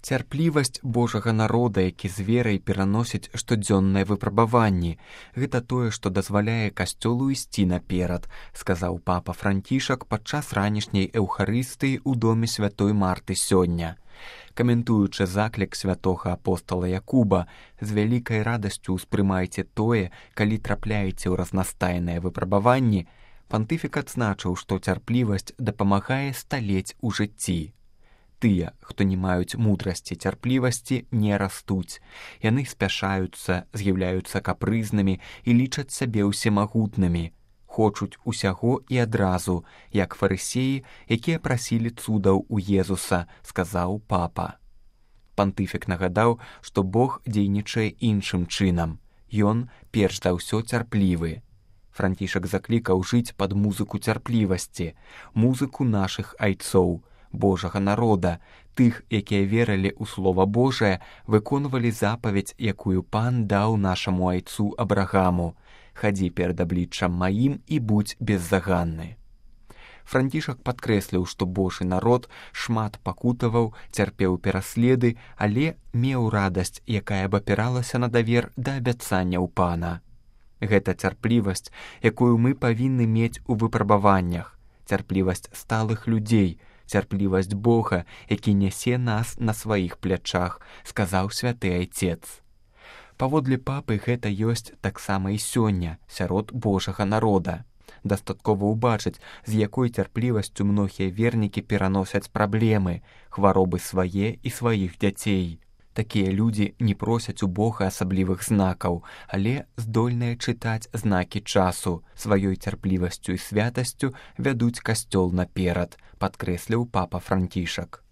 Цярплівасць Божага народа, які з верай пераносіць штодзённыя выпрабаванні. Гэта тое, што дазваляе касцёлу ісці наперад, сказаў папа Францішак падчас ранішняй эўхарыстыі ў доме святой Марты сёння. Каментуючы заклік святога апостала Якуба, з вялікай радасцю ўспрымайце тое, калі трапляеце ў разнастайныя выпрабаванні, пантыфік адзначыў, што цярплівасць дапамагае сталець у жыцці. Тыя, хто не маюць мудрасці цярплівасці, не растуць. Яны спяшаюцца, з'яўляюцца капрызнымі і лічаць сябе ўсемагутнымі. Хочуць усяго і адразу, як фарысеі, якія прасілі цудаў у Езуса, сказаў папа. Пантыфік нагадаў, што Бог дзейнічае іншым чынам. Ён, перш за ўсё, цярплівы. Францішак заклікаў жыць пад музыку цярплівасці, музыку нашых айцоў, Божага народа, тых, якія верылі ў Слова Божае, выконвалі запаведь, якую Пан даў нашаму айцу Абрагаму: «Хадзі перад абліччам маім і будзь беззаганны». Францішак падкрэсліў, што Божы народ шмат пакутаваў, цярпеў пераследы, але меў радасць, якая б апіралася на давер да абяцанняў Пана. Гэта цярплівасць, якую мы павінны мець у выпрабаваннях, цярплівасць сталых людзей, цярплівасць Бога, які нясе нас на сваіх плячах, сказаў святы айцец. Паводле папы гэта ёсць таксама і сёння сярод Божага народа. Дастаткова ўбачыць, з якой цярплівасцю многія вернікі пераносяць праблемы, хваробы свае і сваіх дзяцей. Такія людзі не просяць у Бога асаблівых знакаў, але здольныя чытаць знакі часу, сваёй цярплівасцю і святасцю вядуць касцёл наперад, падкрэсліў папа Францішак.